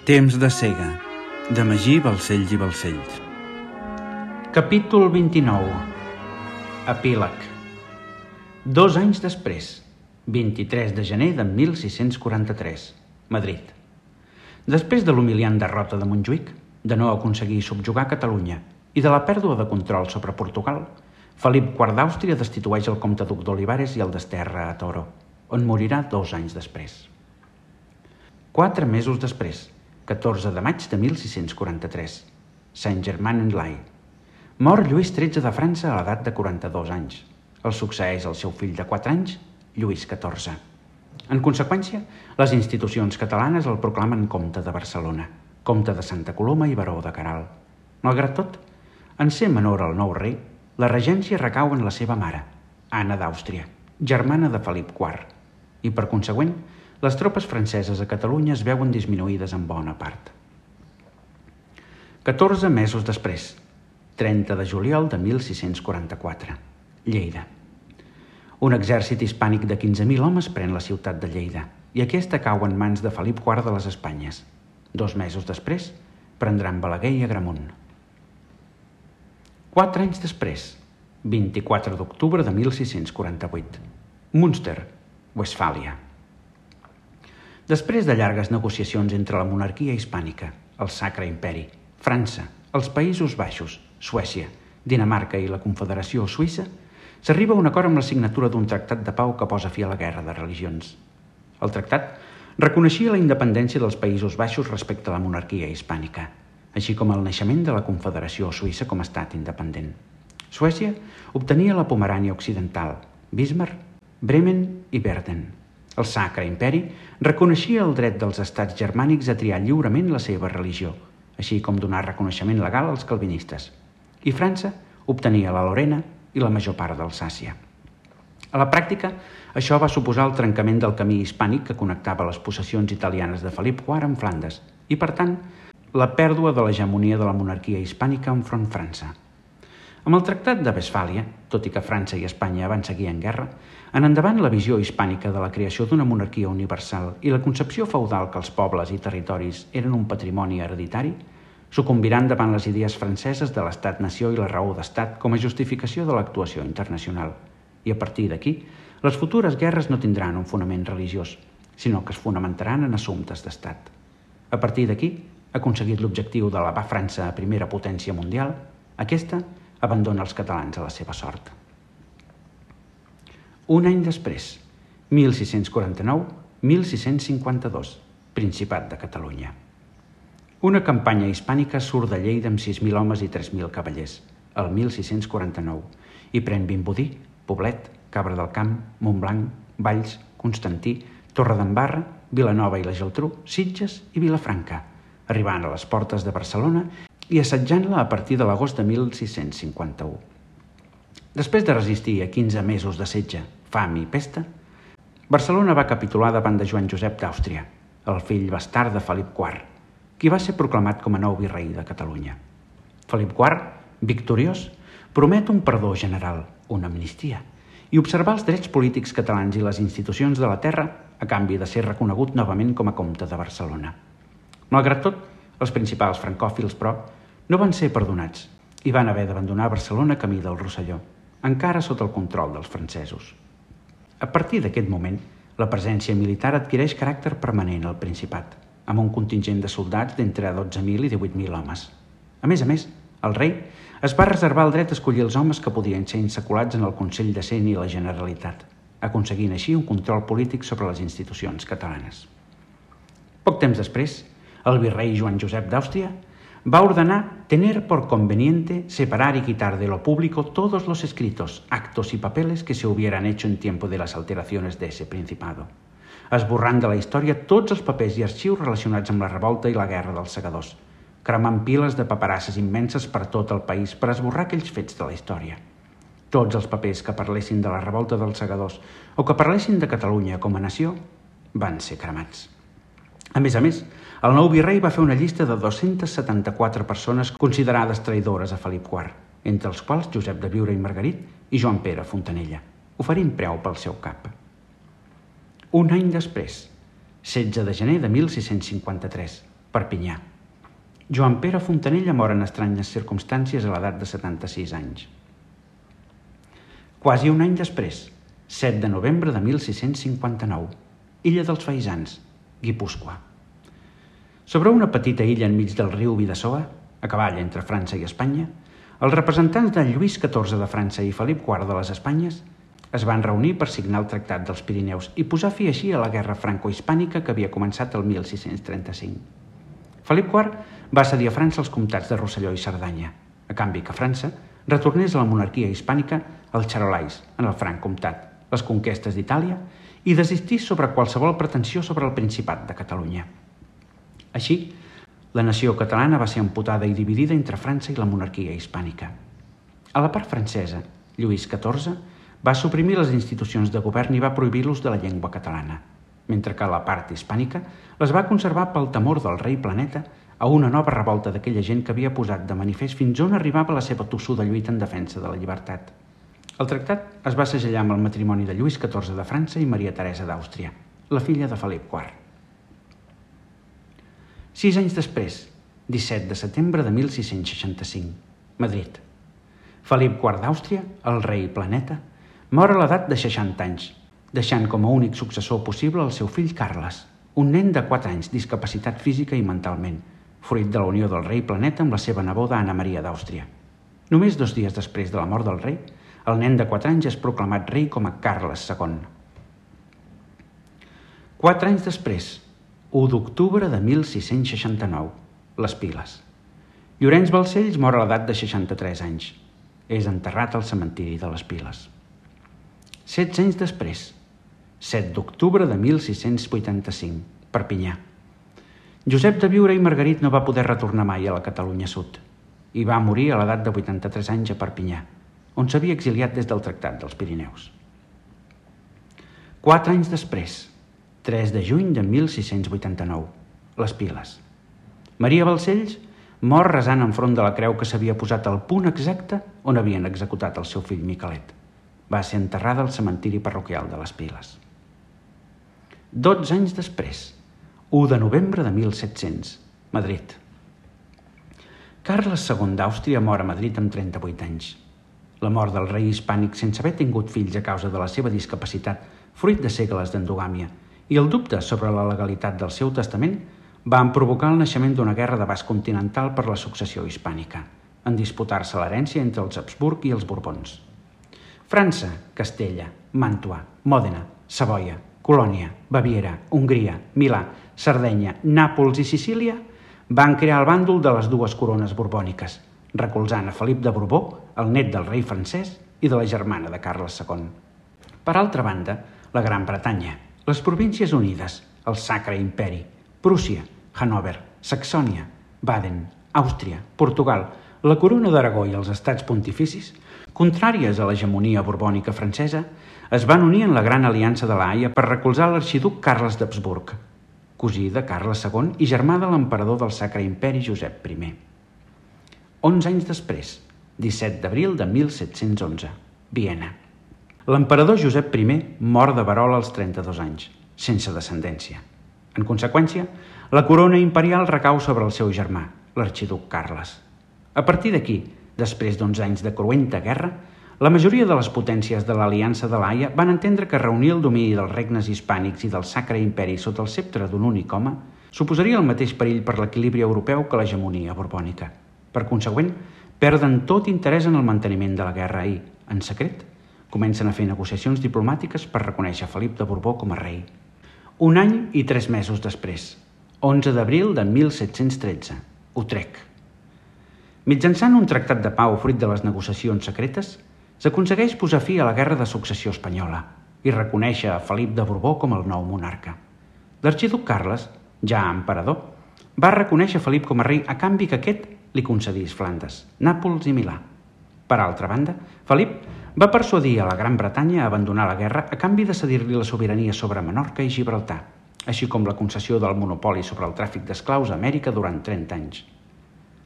Temps de cega, de Magí Balcells i Balcells. Capítol 29. Epíleg. 2 anys després, 23 de gener de 1643, Madrid. Després de l'humiliant derrota de Montjuïc, de no aconseguir subjugar Catalunya i de la pèrdua de control sobre Portugal, Felip IV d'Àustria destitueix el comte duc d'Olivares i el desterra a Toro, on morirà 2 anys després. 4 mesos després, 14 de maig de 1643, Saint-Germain-en-Laye. Mor Lluís XIII de França a l'edat de 42 anys. El succeeix el seu fill de 4 anys, Lluís XIV. En conseqüència, les institucions catalanes el proclamen comte de Barcelona, comte de Santa Coloma i baró de Caral. Malgrat tot, en ser menor al nou rei, la regència recau en la seva mare, Anna d'Àustria, germana de Felip IV, i per consegüent, les tropes franceses a Catalunya es veuen disminuïdes en bona part. 14 mesos després, 30 de juliol de 1644, Lleida. Un exèrcit hispànic de 15.000 homes pren la ciutat de Lleida i aquesta cau en mans de Felip IV de les Espanyes. 2 mesos després, prendran Balaguer i Agramunt. 4 anys després, 24 d'octubre de 1648, Münster, Westfàlia. Després de llargues negociacions entre la monarquia hispànica, el Sacre Imperi, França, els Països Baixos, Suècia, Dinamarca i la Confederació Suïssa, s'arriba a un acord amb la signatura d'un tractat de pau que posa fi a la guerra de religions. El tractat reconeixia la independència dels Països Baixos respecte a la monarquia hispànica, així com el naixement de la Confederació Suïssa com a estat independent. Suècia obtenia la Pomerània Occidental, Bismarck, Bremen i Verden. El Sacre Imperi reconeixia el dret dels estats germànics a triar lliurement la seva religió, així com donar reconeixement legal als calvinistes. I França obtenia la Lorena i la major part d'Alsàcia. A la pràctica, això va suposar el trencament del camí hispànic que connectava les possessions italianes de Felip IV amb Flandes i, per tant, la pèrdua de l'hegemonia de la monarquia hispànica enfront França. Amb el Tractat de Westfàlia, tot i que França i Espanya van seguir en guerra, en endavant la visió hispànica de la creació d'una monarquia universal i la concepció feudal que els pobles i territoris eren un patrimoni hereditari sucumbiran davant les idees franceses de l'estat-nació i la raó d'estat com a justificació de l'actuació internacional. I a partir d'aquí, les futures guerres no tindran un fonament religiós, sinó que es fonamentaran en assumptes d'estat. A partir d'aquí, aconseguit l'objectiu d'elevar França a primera potència mundial, aquesta abandona els catalans a la seva sort. Un any després, 1649-1652, Principat de Catalunya. Una campanya hispànica surt de Lleida amb 6.000 homes i 3.000 cavallers, el 1649, i pren Vimbodí, Poblet, Cabra del Camp, Montblanc, Valls, Constantí, Torredembarra, Vilanova i la Geltrú, Sitges i Vilafranca, arribant a les portes de Barcelona i assetjant-la a partir de l'agost de 1651. Després de resistir a 15 mesos de setge, fam i pesta, Barcelona va capitular davant de Joan Josep d'Àustria, el fill bastard de Felip IV, qui va ser proclamat com a nou virrei de Catalunya. Felip IV, victoriós, promet un perdó general, una amnistia, i observar els drets polítics catalans i les institucions de la terra a canvi de ser reconegut novament com a comte de Barcelona. Malgrat tot, els principals francòfils, però, no van ser perdonats i van haver d'abandonar Barcelona camí del Rosselló, encara sota el control dels francesos. A partir d'aquest moment, la presència militar adquireix caràcter permanent al Principat, amb un contingent de soldats d'entre 12.000 i 18.000 homes. A més, el rei es va reservar el dret a escollir els homes que podien ser insaculats en el Consell de Cent i la Generalitat, aconseguint així un control polític sobre les institucions catalanes. Poc temps després, el virrei Joan Josep d'Àustria va ordenar tener por conveniente separar y quitar de lo público todos los escritos, actos y papeles que se hubieran hecho en tiempo de las alteraciones de ese principado, esborrant de la història tots els papers i arxius relacionats amb la revolta i la guerra dels segadors, cremant piles de paperasses immenses per tot el país per esborrar aquells fets de la història. Tots els papers que parlessin de la revolta dels segadors o que parlessin de Catalunya com a nació van ser cremats. A més, el nou virrei va fer una llista de 274 persones considerades traïdores a Felip IV, entre els quals Josep de Biure i Margarit i Joan Pere Fontanella, oferint preu pel seu cap. Un any després, 16 de gener de 1653, Perpinyà. Joan Pere Fontanella mor en estranyes circumstàncies a l'edat de 76 anys. Quasi un any després, 7 de novembre de 1659, Illa dels Faisans, Guipúscoa. Sobre una petita illa enmig del riu Bidasoa, a cavall entre França i Espanya, els representants de Lluís XIV de França i Felip IV de les Espanyes es van reunir per signar el Tractat dels Pirineus i posar fi així a la guerra franco-hispànica que havia començat el 1635. Felip IV va cedir a França els comtats de Rosselló i Cerdanya, a canvi que França retornés a la monarquia hispànica els Charolais en el Franc Comtat, les conquestes d'Itàlia i desistís sobre qualsevol pretensió sobre el Principat de Catalunya. Així, la nació catalana va ser amputada i dividida entre França i la monarquia hispànica. A la part francesa, Lluís XIV va suprimir les institucions de govern i va prohibir l'ús de la llengua catalana, mentre que a la part hispànica les va conservar pel temor del rei Planeta a una nova revolta d'aquella gent que havia posat de manifest fins on arribava la seva tossuda lluita en defensa de la llibertat. El tractat es va segellar amb el matrimoni de Lluís XIV de França i Maria Teresa d'Àustria, la filla de Felip IV. 6 anys després, 17 de setembre de 1665, Madrid. Felip IV d'Àustria, el rei Planeta, mor a l'edat de 60 anys, deixant com a únic successor possible el seu fill Carles, un nen de 4 anys discapacitat física i mentalment, fruit de la unió del rei Planeta amb la seva neboda Anna Maria d'Àustria. Només 2 dies després de la mort del rei, el nen de 4 anys és proclamat rei com a Carles II. 4 anys després, 1 d'octubre de 1669, les Piles. Llorenç Balcells mor a l'edat de 63 anys. És enterrat al cementiri de les Piles. 16 anys després, 7 d'octubre de 1685, Perpinyà. Josep de Biure i Margarit no va poder retornar mai a la Catalunya Sud i va morir a l'edat de 83 anys a Perpinyà, on s'havia exiliat des del Tractat dels Pirineus. 4 anys després, 3 de juny de 1689, les Piles. Maria Balcells mor resant enfront de la creu que s'havia posat al punt exacte on havien executat el seu fill Miquelet. Va ser enterrada al cementiri parroquial de les Piles. 12 anys després, 1 de novembre de 1700, Madrid. Carles II d'Àustria mor a Madrid amb 38 anys. La mort del rei hispànic sense haver tingut fills a causa de la seva discapacitat, fruit de segles d'endogàmia, i el dubte sobre la legalitat del seu testament van provocar el naixement d'una guerra d'abast continental per la successió hispànica, en disputar-se l'herència entre els Habsburg i els Borbons. França, Castella, Màntua, Mòdena, Savoia, Colònia, Baviera, Hongria, Milà, Sardenya, Nàpols i Sicília van crear el bàndol de les dues corones borbòniques, recolzant a Felip de Borbó, el net del rei francès i de la germana de Carles II. Per altra banda, la Gran Bretanya, les Províncies Unides, el Sacre Imperi, Prússia, Hannover, Saxònia, Baden, Àustria, Portugal, la Corona d'Aragó i els estats pontificis, contràries a l'hegemonia borbònica francesa, es van unir en la Gran Aliança de la Haia per recolzar l'arxiduc Carles d'Habsburg, cosí de Carles II i germà de l'emperador del Sacre Imperi Josep I. 11 anys després, 17 d'abril de 1711, Viena. L'emperador Josep I mor de verola als 32 anys, sense descendència. En conseqüència, la corona imperial recau sobre el seu germà, l'arxiduc Carles. A partir d'aquí, després d'11 anys de cruenta guerra, la majoria de les potències de l'Aliança de l'Haia van entendre que reunir el domini dels regnes hispànics i del Sacre Imperi sota el ceptre d'un únic home suposaria el mateix perill per l'equilibri europeu que l'hegemonia borbònica. Per consegüent, perden tot interès en el manteniment de la guerra i, en secret, comencen a fer negociacions diplomàtiques per reconèixer Felip de Borbó com a rei. 1 any i 3 mesos després, 11 d'abril de 1713, Utrecht. Mitjançant un tractat de pau fruit de les negociacions secretes, s'aconsegueix posar fi a la guerra de successió espanyola i reconèixer a Felip de Borbó com el nou monarca. L'arxiduc Carles, ja emperador, va reconèixer Felip com a rei a canvi que aquest li concedís Flandes, Nàpols i Milà. Per altra banda, Felip va persuadir a la Gran Bretanya a abandonar la guerra a canvi de cedir-li la sobirania sobre Menorca i Gibraltar, així com la concessió del monopoli sobre el tràfic d'esclaus a Amèrica durant 30 anys.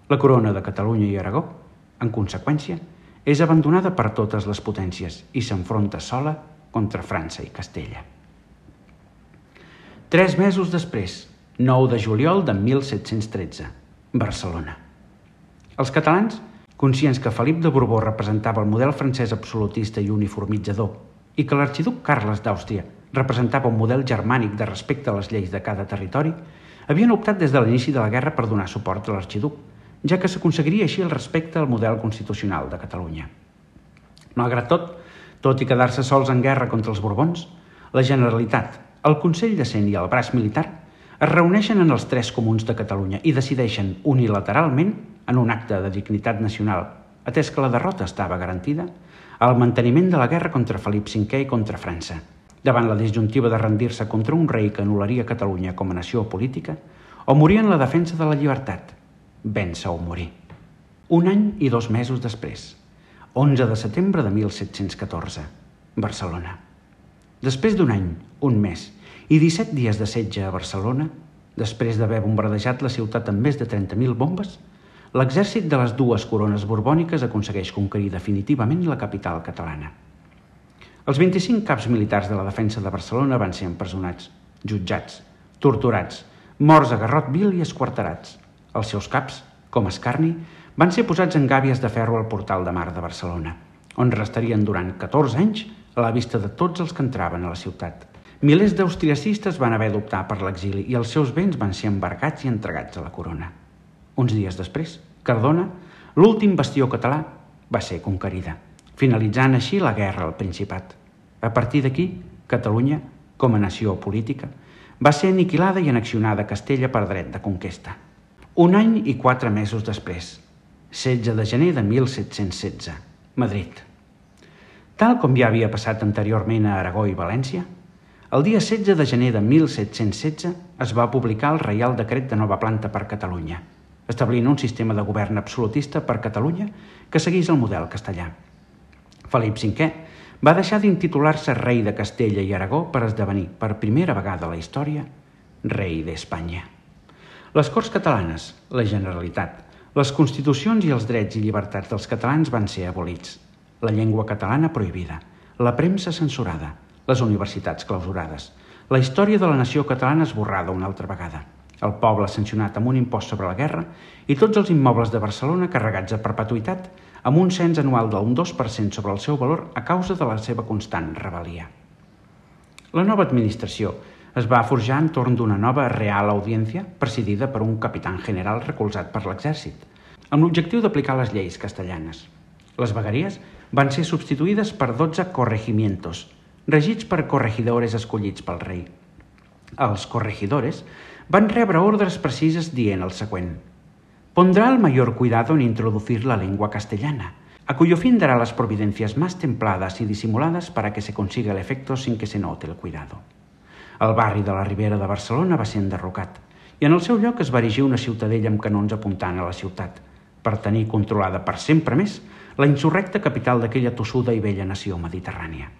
La corona de Catalunya i Aragó, en conseqüència, és abandonada per totes les potències i s'enfronta sola contra França i Castella. 3 mesos després, 9 de juliol de 1713, Barcelona. Els catalans, conscients que Felip de Borbó representava el model francès absolutista i uniformitzador i que l'arxiduc Carles d'Àustria representava un model germànic de respecte a les lleis de cada territori, havien optat des de l'inici de la guerra per donar suport a l'arxiduc, ja que s'aconseguiria així el respecte al model constitucional de Catalunya. Malgrat tot i quedar-se sols en guerra contra els Borbons, la Generalitat, el Consell de Cent i el braç militar es reuneixen en els 3 comuns de Catalunya i decideixen unilateralment, en un acte de dignitat nacional, atès que la derrota estava garantida, el manteniment de la guerra contra Felip V i contra França, davant la disjuntiva de rendir-se contra un rei que anul·laria Catalunya com a nació política o morir en la defensa de la llibertat, vèncer o morir. 1 any i 2 mesos després, 11 de setembre de 1714, Barcelona. Després d'un any, un mes i 17 dies de setge a Barcelona, després d'haver bombardejat la ciutat amb més de 30.000 bombes, l'exèrcit de les 2 corones borbòniques aconsegueix conquerir definitivament la capital catalana. Els 25 caps militars de la defensa de Barcelona van ser empresonats, jutjats, torturats, morts a garrot vil i esquarterats. Els seus caps, com escarni, van ser posats en gàbies de ferro al portal de mar de Barcelona, on restarien durant 14 anys a la vista de tots els que entraven a la ciutat. Milers d'austriacistes van haver d'optar per l'exili i els seus béns van ser embargats i entregats a la corona. Uns dies després, Cardona, l'últim bastió català, va ser conquerida, finalitzant així la guerra al Principat. A partir d'aquí, Catalunya, com a nació política, va ser aniquilada i annexionada a Castella per dret de conquesta. 1 any i 4 mesos després, 16 de gener de 1716, Madrid. Tal com ja havia passat anteriorment a Aragó i València, el dia 16 de gener de 1716 es va publicar el Reial Decret de nova planta per Catalunya, establint un sistema de govern absolutista per Catalunya que seguís el model castellà. Felip V va deixar d'intitular-se rei de Castella i Aragó per esdevenir, per primera vegada a la història, rei d'Espanya. Les Corts Catalanes, la Generalitat, les constitucions i els drets i llibertats dels catalans van ser abolits, la llengua catalana prohibida, la premsa censurada, les universitats clausurades, la història de la nació catalana esborrada una altra vegada, el poble sancionat amb un impost sobre la guerra i tots els immobles de Barcelona carregats a perpetuïtat amb un cens anual d'un 2% sobre el seu valor a causa de la seva constant rebel·lia. La nova administració es va forjar entorn d'una nova Real Audiència presidida per un capitán general recolzat per l'exèrcit, amb l'objectiu d'aplicar les lleis castellanes. Les vegueries van ser substituïdes per 12 corregimientos, regits per corregidores escollits pel rei. Els corregidores van rebre ordres precises dient el següent: «Pondrá el mayor cuidado en introducir la lengua castellana, a cuyo fin dará las providencias más templadas y disimuladas para que se consiga el efecto sin que se note el cuidado». El barri de la Ribera de Barcelona va ser enderrocat i en el seu lloc es va erigir una ciutadella amb canons apuntant a la ciutat, per tenir controlada per sempre més la insurrecta capital d'aquella tossuda i vella nació mediterrània.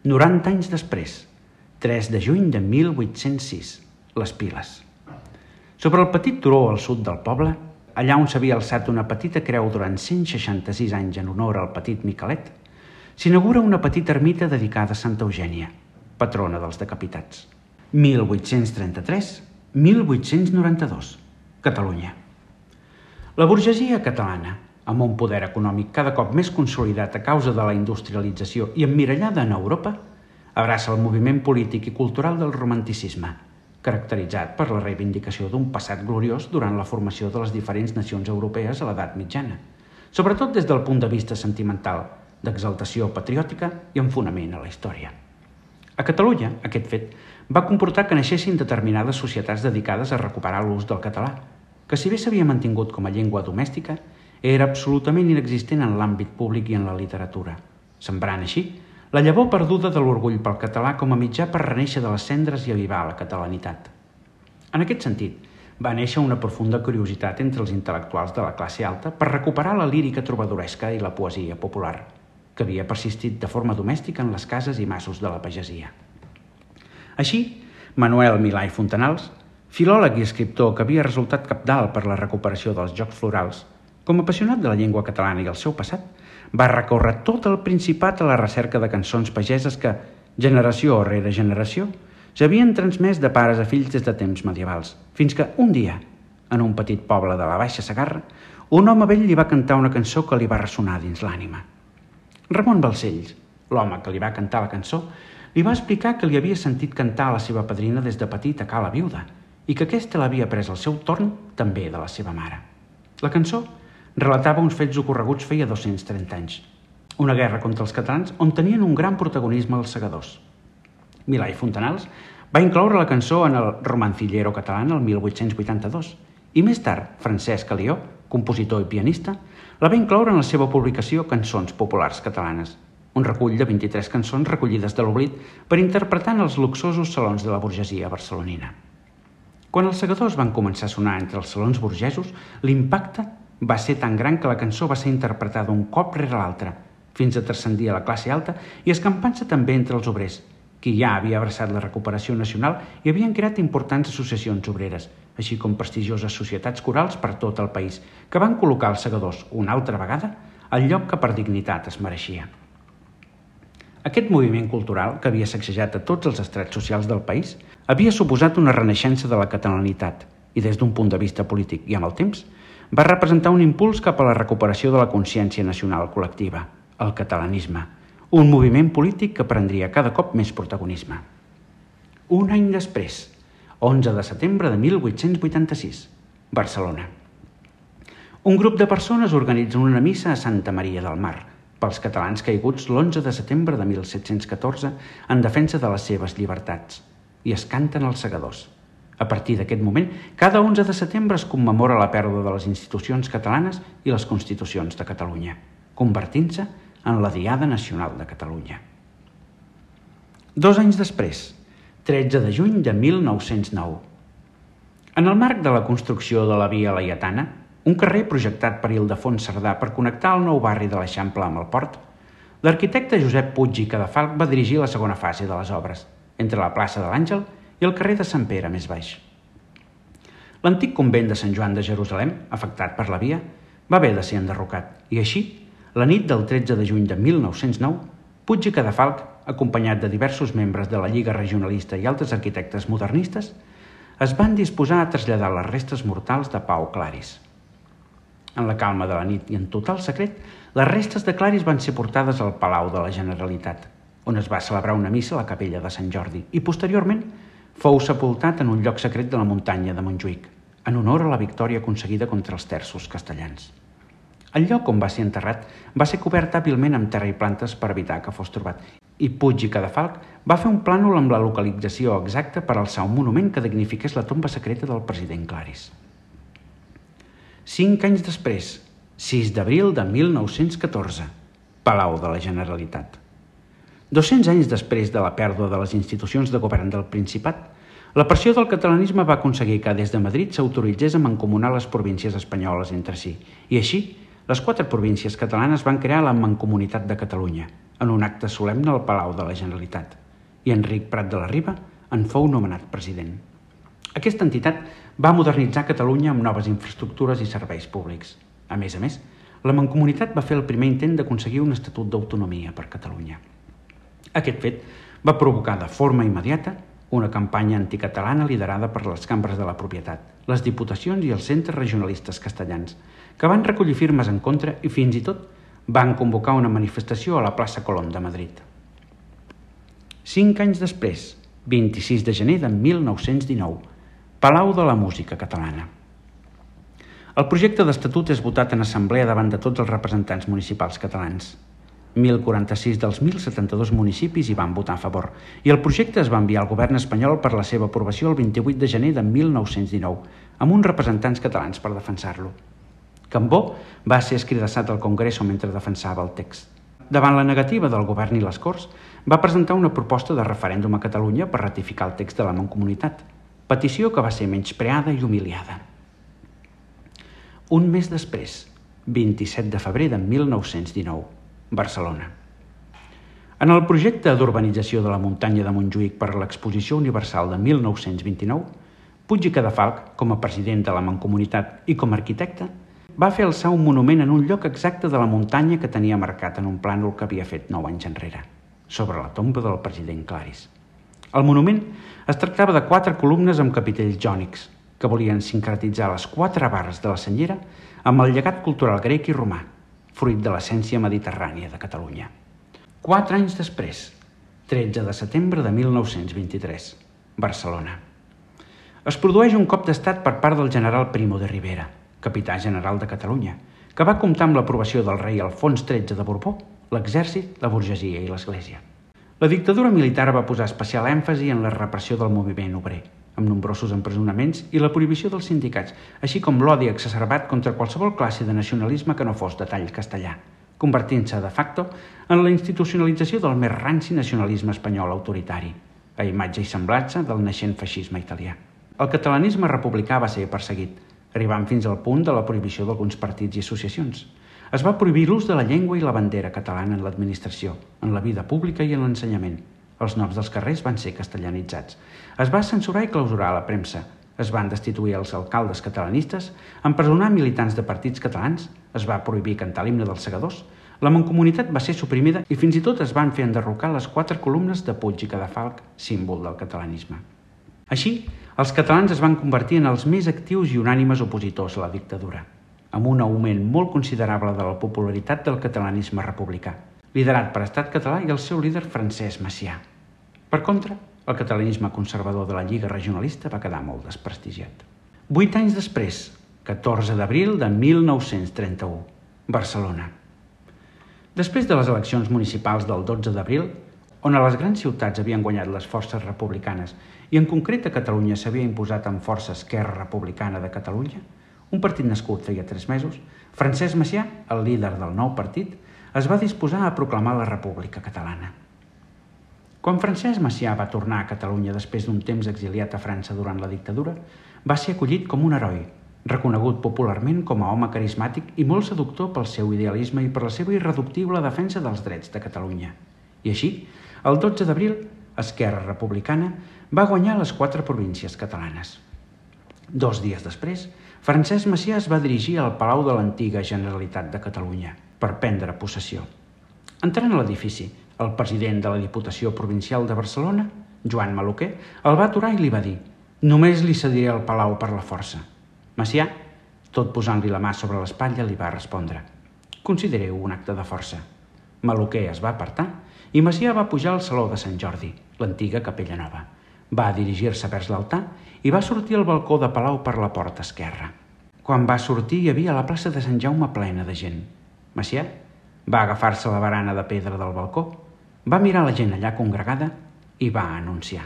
90 anys després, 3 de juny de 1806, les Piles. Sobre el petit turó al sud del poble, allà on s'havia alçat una petita creu durant 166 anys en honor al petit Miquelet, s'inaugura una petita ermita dedicada a Santa Eugènia, patrona dels decapitats. 1833-1892, Catalunya. La burgesia catalana, amb un poder econòmic cada cop més consolidat a causa de la industrialització i emmirallada en Europa, abraça el moviment polític i cultural del romanticisme, caracteritzat per la reivindicació d'un passat gloriós durant la formació de les diferents nacions europees a l'edat mitjana, sobretot des del punt de vista sentimental, d'exaltació patriòtica i amb fonament a la història. A Catalunya, aquest fet va comportar que naixessin determinades societats dedicades a recuperar l'ús del català, que si bé s'havia mantingut com a llengua domèstica, era absolutament inexistent en l'àmbit públic i en la literatura, sembrant així la llavor perduda de l'orgull pel català com a mitjà per renéixer de les cendres i avivar la catalanitat. En aquest sentit, va néixer una profunda curiositat entre els intel·lectuals de la classe alta per recuperar la lírica trobadoresca i la poesia popular, que havia persistit de forma domèstica en les cases i masos de la pagesia. Així, Manuel Milà i Fontanals, filòleg i escriptor que havia resultat cabdal per la recuperació dels jocs florals, com a apassionat de la llengua catalana i el seu passat, va recórrer tot el Principat a la recerca de cançons pageses que, generació rere generació, s'havien transmès de pares a fills des de temps medievals, fins que un dia, en un petit poble de la Baixa Segarra, un home vell li va cantar una cançó que li va ressonar dins l'ànima. Ramon Balcells, l'home que li va cantar la cançó, li va explicar que li havia sentit cantar a la seva padrina des de petit a Ca la Viuda i que aquesta l'havia pres al seu torn també de la seva mare. La cançó relatava uns fets ocorreguts feia 230 anys, una guerra contra els catalans on tenien un gran protagonisme els segadors. Milà i Fontanals va incloure la cançó en el Romancillero català el 1882 i més tard Francesc Alió, compositor i pianista, la va incloure en la seva publicació Cançons Populars Catalanes, un recull de 23 cançons recollides de l'oblit per interpretar en els luxosos salons de la burgesia barcelonina. Quan els segadors van començar a sonar entre els salons burgesos, l'impacte va ser tan gran que la cançó va ser interpretada un cop rere l'altre, fins a transcendir a la classe alta i escampant-se també entre els obrers, qui ja havia abraçat la recuperació nacional i havien creat importants associacions obreres, així com prestigioses societats corals per tot el país, que van col·locar els segadors, una altra vegada, al lloc que per dignitat es mereixia. Aquest moviment cultural, que havia sacsejat a tots els estrats socials del país, havia suposat una renaixença de la catalanitat i, des d'un punt de vista polític i amb el temps, va representar un impuls cap a la recuperació de la consciència nacional col·lectiva, el catalanisme, un moviment polític que prendria cada cop més protagonisme. Un any després, 11 de setembre de 1886, Barcelona. Un grup de persones organitzen una missa a Santa Maria del Mar pels catalans caiguts l'11 de setembre de 1714 en defensa de les seves llibertats i es canten els segadors. A partir d'aquest moment, cada 11 de setembre es commemora la pèrdua de les institucions catalanes i les constitucions de Catalunya, convertint-se en la Diada Nacional de Catalunya. 2 anys després, 13 de juny de 1909. En el marc de la construcció de la Via Laietana, un carrer projectat per Ildefons Cerdà per connectar el nou barri de l'Eixample amb el port, l'arquitecte Josep Puig i Cadafalch va dirigir la segona fase de les obres, entre la plaça de l'Àngel i el carrer de Sant Pere més baix. L'antic convent de Sant Joan de Jerusalem, afectat per la via, va haver de ser enderrocat i així, la nit del 13 de juny de 1909, Puig i Cadafalch, acompanyat de diversos membres de la Lliga Regionalista i altres arquitectes modernistes, es van disposar a traslladar les restes mortals de Pau Claris. En la calma de la nit i en total secret, les restes de Claris van ser portades al Palau de la Generalitat, on es va celebrar una missa a la capella de Sant Jordi i, posteriorment, fou sepultat en un lloc secret de la muntanya de Montjuïc, en honor a la victòria aconseguida contra els terços castellans. El lloc on va ser enterrat va ser cobert hàbilment amb terra i plantes per evitar que fos trobat, i Puig i Cadafalch va fer un plànol amb la localització exacta per alçar un monument que dignifiqués la tomba secreta del president Claris. 5 anys després, 6 d'abril de 1914, Palau de la Generalitat. 200 anys després de la pèrdua de les institucions de govern del Principat, la pressió del catalanisme va aconseguir que des de Madrid s'autoritzés a mancomunar les províncies espanyoles entre si, i així, les 4 províncies catalanes van crear la Mancomunitat de Catalunya, en un acte solemne al Palau de la Generalitat, i Enric Prat de la Riba en fou nomenat president. Aquesta entitat va modernitzar Catalunya amb noves infraestructures i serveis públics. A més, la Mancomunitat va fer el primer intent d'aconseguir un estatut d'autonomia per Catalunya. Aquest fet va provocar de forma immediata una campanya anticatalana liderada per les cambres de la propietat, les diputacions i els centres regionalistes castellans, que van recollir firmes en contra i fins i tot van convocar una manifestació a la plaça Colón de Madrid. 5 anys després, 26 de gener de 1919, Palau de la Música Catalana. El projecte d'estatut és votat en assemblea davant de tots els representants municipals catalans. 1.046 dels 1.072 municipis hi van votar a favor i el projecte es va enviar al govern espanyol per la seva aprovació el 28 de gener de 1919, amb uns representants catalans per defensar-lo. Cambó va ser escridassat al Congreso mentre defensava el text. Davant la negativa del govern i les Corts, va presentar una proposta de referèndum a Catalunya per ratificar el text de la Mancomunitat, petició que va ser menyspreada i humiliada. Un mes després, 27 de febrer de 1919, Barcelona. En el projecte d'urbanització de la muntanya de Montjuïc per a l'Exposició Universal de 1929, Puig i Cadafalch, com a president de la Mancomunitat i com a arquitecte, va fer alçar un monument en un lloc exacte de la muntanya que tenia marcat en un plànol que havia fet 9 anys enrere, sobre la tomba del president Claris. El monument es tractava de 4 columnes amb capitells jònics, que volien sincretitzar les 4 barres de la senyera amb el llegat cultural grec i romà, fruit de l'essència mediterrània de Catalunya. 4 anys després, 13 de setembre de 1923, Barcelona. Es produeix un cop d'estat per part del general Primo de Rivera, capità general de Catalunya, que va comptar amb l'aprovació del rei Alfons XIII de Borbó, l'exèrcit, la burgesia i l'Església. La dictadura militar va posar especial èmfasi en la repressió del moviment obrer, amb nombrosos empresonaments i la prohibició dels sindicats, així com l'odi exacerbat contra qualsevol classe de nacionalisme que no fos de tall castellà, convertint-se de facto en la institucionalització del més ranci nacionalisme espanyol autoritari, a imatge i semblança del naixent feixisme italià. El catalanisme republicà va ser perseguit, arribant fins al punt de la prohibició d'alguns partits i associacions. Es va prohibir l'ús de la llengua i la bandera catalana en l'administració, en la vida pública i en l'ensenyament. Els noms dels carrers van ser castellanitzats. Es va censurar i clausurar la premsa. Es van destituir els alcaldes catalanistes, empresonar militants de partits catalans, es va prohibir cantar l'himne dels segadors, la mancomunitat va ser suprimida i fins i tot es van fer enderrocar les 4 columnes de Puig i Cadafalch, símbol del catalanisme. Així, els catalans es van convertir en els més actius i unànimes opositors a la dictadura, amb un augment molt considerable de la popularitat del catalanisme republicà, liderat per Estat Català i el seu líder Francesc Macià. Per contra, el catalanisme conservador de la Lliga Regionalista va quedar molt desprestigiat. 8 anys després, 14 d'abril de 1931, Barcelona. Després de les eleccions municipals del 12 d'abril, on a les grans ciutats havien guanyat les forces republicanes i en concret a Catalunya s'havia imposat amb força Esquerra Republicana de Catalunya, un partit nascut feia 3 mesos, Francesc Macià, el líder del nou partit, es va disposar a proclamar la República Catalana. Quan Francesc Macià va tornar a Catalunya després d'un temps exiliat a França durant la dictadura, va ser acollit com un heroi, reconegut popularment com a home carismàtic i molt seductor pel seu idealisme i per la seva irreductible defensa dels drets de Catalunya. I així, el 12 d'abril, Esquerra Republicana va guanyar les 4 províncies catalanes. 2 dies després, Francesc Macià es va dirigir al Palau de l'antiga Generalitat de Catalunya per prendre possessió. Entrant a l'edifici, el president de la Diputació Provincial de Barcelona, Joan Maluquer, el va aturar i li va dir: «Només li cediré el Palau per la força». Macià, tot posant-li la mà sobre l'espatlla, li va respondre: «Considereu un acte de força». Maluquer es va apartar i Macià va pujar al Saló de Sant Jordi, l'antiga Capella Nova. Va dirigir-se vers l'altar i va sortir al balcó de Palau per la porta esquerra. Quan va sortir hi havia la plaça de Sant Jaume plena de gent. Macià va agafar-se la barana de pedra del balcó, va mirar la gent allà congregada i va anunciar: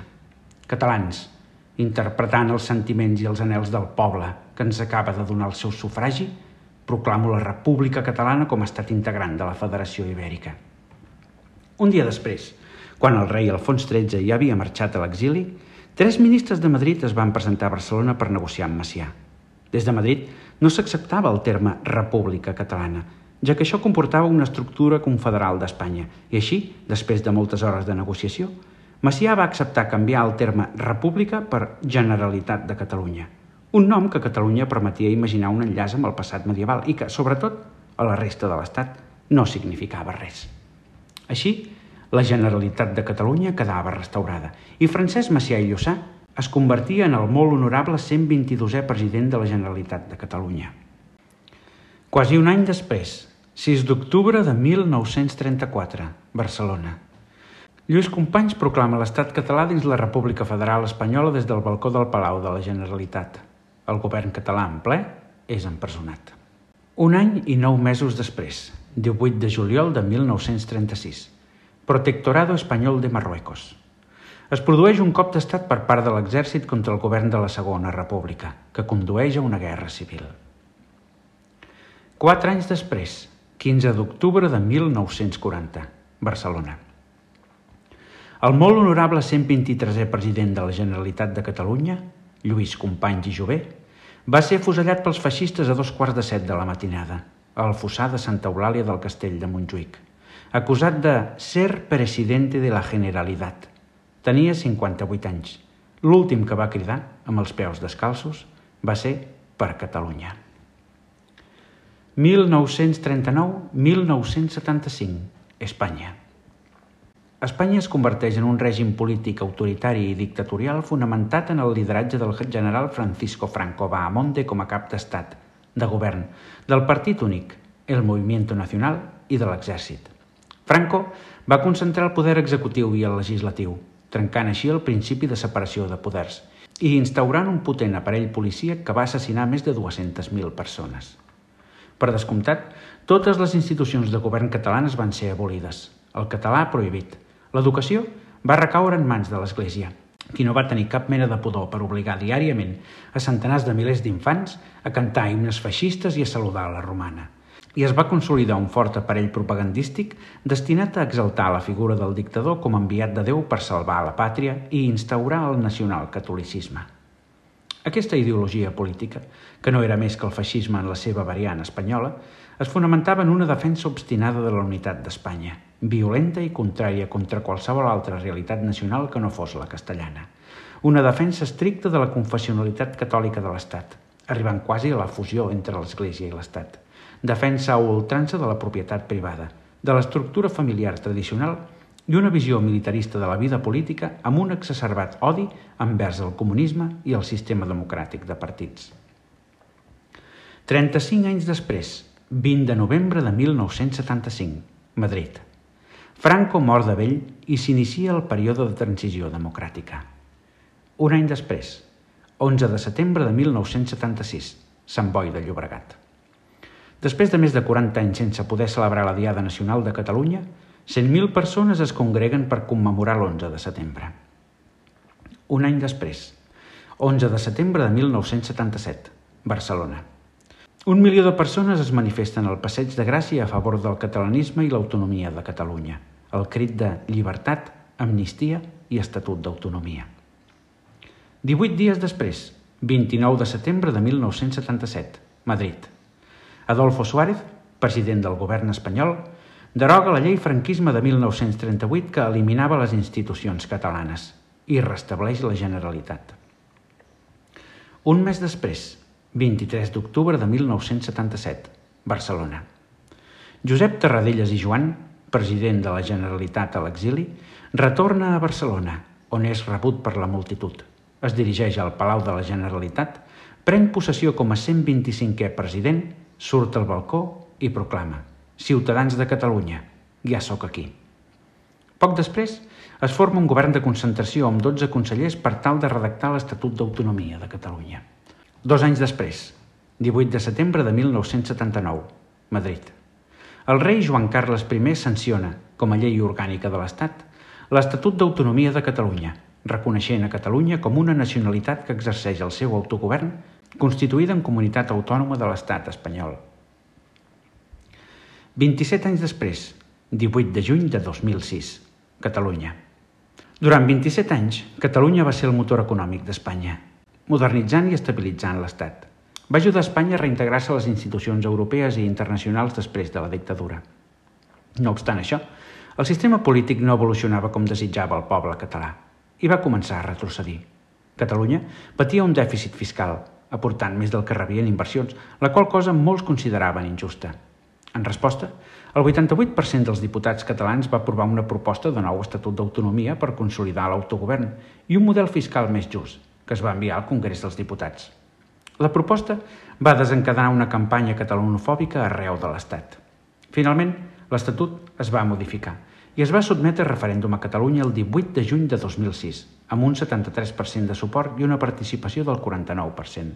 «Catalans, interpretant els sentiments i els anhels del poble que ens acaba de donar el seu sufragi, proclamo la República Catalana com a estat integrant de la Federació Ibèrica». Un dia després, quan el rei Alfons XIII ja havia marxat a l'exili, 3 ministres de Madrid es van presentar a Barcelona per negociar amb Macià. Des de Madrid no s'acceptava el terme República Catalana, ja que això comportava una estructura confederal d'Espanya, i així, després de moltes hores de negociació, Macià va acceptar canviar el terme República per Generalitat de Catalunya, un nom que a Catalunya permetia imaginar un enllaç amb el passat medieval i que, sobretot, a la resta de l'Estat no significava res. Així, la Generalitat de Catalunya quedava restaurada i Francesc Macià i Lluçà es convertia en el molt honorable 122è president de la Generalitat de Catalunya. Quasi un any després, 6 d'octubre de 1934, Barcelona. Lluís Companys proclama l'estat català dins la República Federal Espanyola des del balcó del Palau de la Generalitat. El govern català en ple és empresonat. Un any i 9 mesos després, 18 de juliol de 1936, Protectorado Espanyol de Marruecos. Es produeix un cop d'estat per part de l'exèrcit contra el govern de la Segona República, que condueix a una guerra civil. 4 anys després, 15 d'octubre de 1940, Barcelona. El molt honorable 123è president de la Generalitat de Catalunya, Lluís Companys i Jover, va ser afusellat pels feixistes a 2:15 de la matinada, al fossar de Santa Eulàlia del Castell de Montjuïc, acusat de ser presidente de la Generalitat. Tenia 58 anys. L'últim que va cridar, amb els peus descalços, va ser per Catalunya. 1939-1975, Espanya. Espanya es converteix en un règim polític autoritari i dictatorial fonamentat en el lideratge del general Francisco Franco Bahamonde com a cap d'estat, de govern, del partit únic, el Movimiento Nacional i de l'exèrcit. Franco va concentrar el poder executiu i el legislatiu, trencant així el principi de separació de poders i instaurant un potent aparell policíac que va assassinar més de 200.000 persones. Per descomptat, totes les institucions de govern catalanes van ser abolides. El català prohibit. L'educació va recaure en mans de l'Església, qui no va tenir cap mena de pudor per obligar diàriament a centenars de milers d'infants a cantar himnes feixistes i a saludar a la romana. I es va consolidar un fort aparell propagandístic destinat a exaltar la figura del dictador com a enviat de Déu per salvar la pàtria i instaurar el nacionalcatolicisme. Aquesta ideologia política, que no era més que el feixisme en la seva variant espanyola, es fonamentava en una defensa obstinada de la unitat d'Espanya, violenta i contrària contra qualsevol altra realitat nacional que no fos la castellana. Una defensa estricta de la confessionalitat catòlica de l'Estat, arribant quasi a la fusió entre l'Església i l'Estat. Defensa a ultrança de la propietat privada, de l'estructura familiar tradicional i una visió militarista de la vida política amb un exacerbat odi envers el comunisme i el sistema democràtic de partits. 35 anys després, 20 de novembre de 1975, Madrid. Franco mor de vell i s'inicia el període de transició democràtica. Un any després, 11 de setembre de 1976, Sant Boi de Llobregat. Després de més de 40 anys sense poder celebrar la Diada Nacional de Catalunya, 100.000 persones es congreguen per commemorar l'11 de setembre. Un any després, 11 de setembre de 1977, Barcelona. 1 milió de persones es manifesten al Passeig de Gràcia a favor del catalanisme i l'autonomia de Catalunya, el crit de llibertat, amnistia i estatut d'autonomia. 18 dies després, 29 de setembre de 1977, Madrid. Adolfo Suárez, president del govern espanyol, deroga la llei franquisme de 1938 que eliminava les institucions catalanes i restableix la Generalitat. Un mes després, 23 d'octubre de 1977, Barcelona. Josep Tarradellas i Joan, president de la Generalitat a l'exili, retorna a Barcelona, on és rebut per la multitud. Es dirigeix al Palau de la Generalitat, pren possessió com a 125è president, surt al balcó i proclama: Ciutadans de Catalunya, ja sóc aquí. Poc després, es forma un govern de concentració amb 12 consellers per tal de redactar l'Estatut d'Autonomia de Catalunya. 2 anys després, 18 de setembre de 1979, Madrid. El rei Joan Carles I sanciona, com a llei orgànica de l'Estat, l'Estatut d'Autonomia de Catalunya, reconeixent a Catalunya com una nacionalitat que exerceix el seu autogovern constituïda en comunitat autònoma de l'Estat espanyol. 27 anys després, 18 de juny de 2006, Catalunya. Durant 27 anys, Catalunya va ser el motor econòmic d'Espanya, modernitzant i estabilitzant l'Estat. Va ajudar Espanya a reintegrar-se a les institucions europees i internacionals després de la dictadura. No obstant això, el sistema polític no evolucionava com desitjava el poble català i va començar a retrocedir. Catalunya patia un dèficit fiscal, aportant més del que rebia en inversions, la qual cosa molts consideraven injusta. En resposta, el 88% dels diputats catalans va aprovar una proposta de nou Estatut d'Autonomia per consolidar l'autogovern i un model fiscal més just, que es va enviar al Congrés dels Diputats. La proposta va desencadenar una campanya catalanofòbica arreu de l'Estat. Finalment, l'Estatut es va modificar i es va sotmetre a referèndum a Catalunya el 18 de juny de 2006, amb un 73% de suport i una participació del 49%.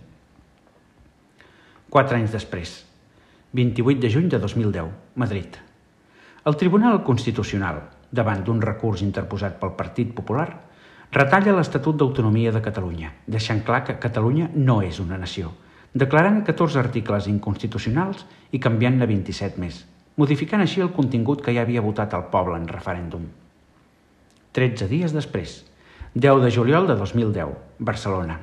4 anys després, 28 de juny de 2010, Madrid. El Tribunal Constitucional, davant d'un recurs interposat pel Partit Popular, retalla l'Estatut d'Autonomia de Catalunya, deixant clar que Catalunya no és una nació, declarant 14 articles inconstitucionals i canviant-ne 27 més, modificant així el contingut que ja havia votat el poble en referèndum. 13 dies després, 10 de juliol de 2010, Barcelona.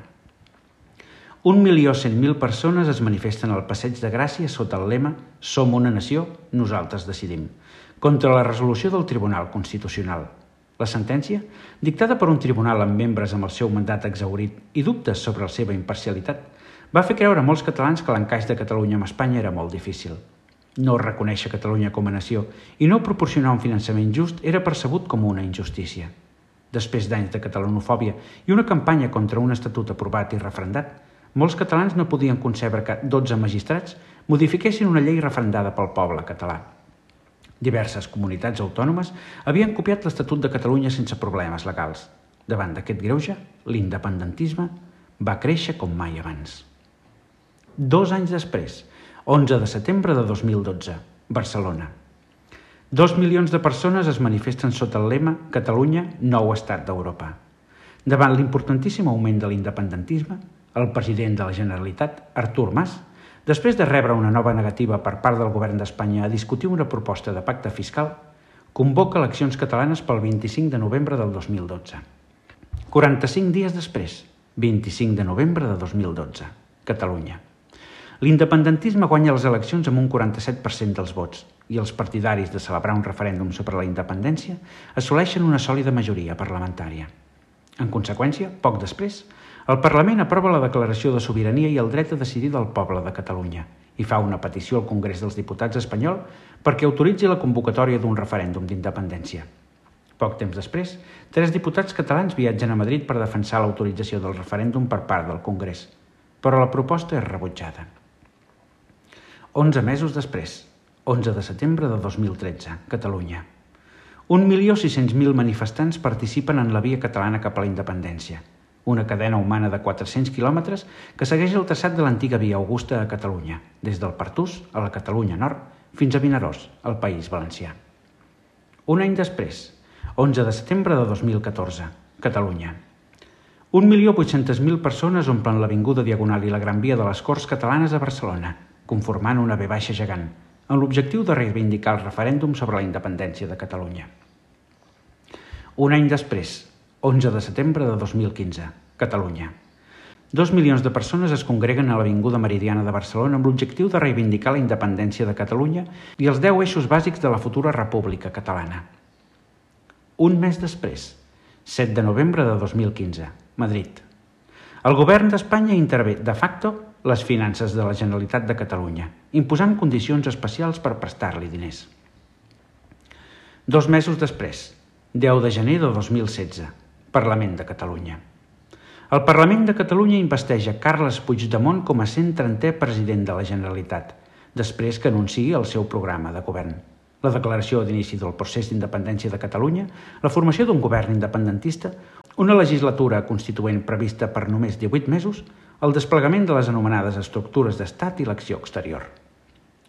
1.100.000 persones es manifesten al Passeig de Gràcia sota el lema «Som una nació, nosaltres decidim», contra la resolució del Tribunal Constitucional. La sentència, dictada per un tribunal amb membres amb el seu mandat exhaurit i dubtes sobre la seva imparcialitat, va fer creure a molts catalans que l'encaix de Catalunya amb Espanya era molt difícil. No reconèixer Catalunya com a nació i no proporcionar un finançament just era percebut com una injustícia. Després d'anys de catalanofòbia i una campanya contra un estatut aprovat i referendat, molts catalans no podien concebre que 12 magistrats modifiquessin una llei referendada pel poble català. Diverses comunitats autònomes havien copiat l'Estatut de Catalunya sense problemes legals. Davant d'aquest greuge, l'independentisme va créixer com mai abans. 2 anys després, 11 de setembre de 2012, Barcelona. 2 milions de persones es manifesten sota el lema Catalunya, nou estat d'Europa. Davant l'importantíssim augment de l'independentisme, el president de la Generalitat, Artur Mas, després de rebre una nova negativa per part del govern d'Espanya a discutir una proposta de pacte fiscal, convoca eleccions catalanes pel 25 de novembre del 2012. 45 dies després, 25 de novembre de 2012, Catalunya. L'independentisme guanya les eleccions amb un 47% dels vots i els partidaris de celebrar un referèndum sobre la independència assoleixen una sòlida majoria parlamentària. En conseqüència, poc després, el Parlament aprova la declaració de sobirania i el dret a decidir del poble de Catalunya i fa una petició al Congrés dels Diputats espanyol perquè autoritzi la convocatòria d'un referèndum d'independència. Poc temps després, 3 diputats catalans viatgen a Madrid per defensar l'autorització del referèndum per part del Congrés, però la proposta és rebutjada. 11 mesos després, 11 de setembre de 2013, Catalunya. 1.600.000 manifestants participen en la via catalana cap a la independència, una cadena humana de 400 quilòmetres que segueix el traçat de l'antiga via Augusta a Catalunya, des del Pertús, a la Catalunya Nord, fins a Vinaròs, al País Valencià. Un any després, 11 de setembre de 2014, Catalunya. 1.800.000 persones omplen l'avinguda Diagonal i la Gran Via de les Corts Catalanes a Barcelona, conformant una V baixa gegant, amb l'objectiu de reivindicar el referèndum sobre la independència de Catalunya. Un any després, 11 de setembre de 2015, Catalunya. 2 milions de persones es congreguen a l'Avinguda Meridiana de Barcelona amb l'objectiu de reivindicar la independència de Catalunya i els 10 eixos bàsics de la futura República Catalana. Un mes després, 7 de novembre de 2015, Madrid. El govern d'Espanya intervé de facto les finances de la Generalitat de Catalunya, imposant condicions especials per prestar-li diners. 2 mesos després, 10 de gener de 2016, Parlament de Catalunya. El Parlament de Catalunya investeix a Carles Puigdemont com a 130è president de la Generalitat, després que anunciï el seu programa de govern. La declaració d'inici del procés d'independència de Catalunya, la formació d'un govern independentista, una legislatura constituent prevista per només 18 mesos, el desplegament de les anomenades estructures d'estat i l'acció exterior.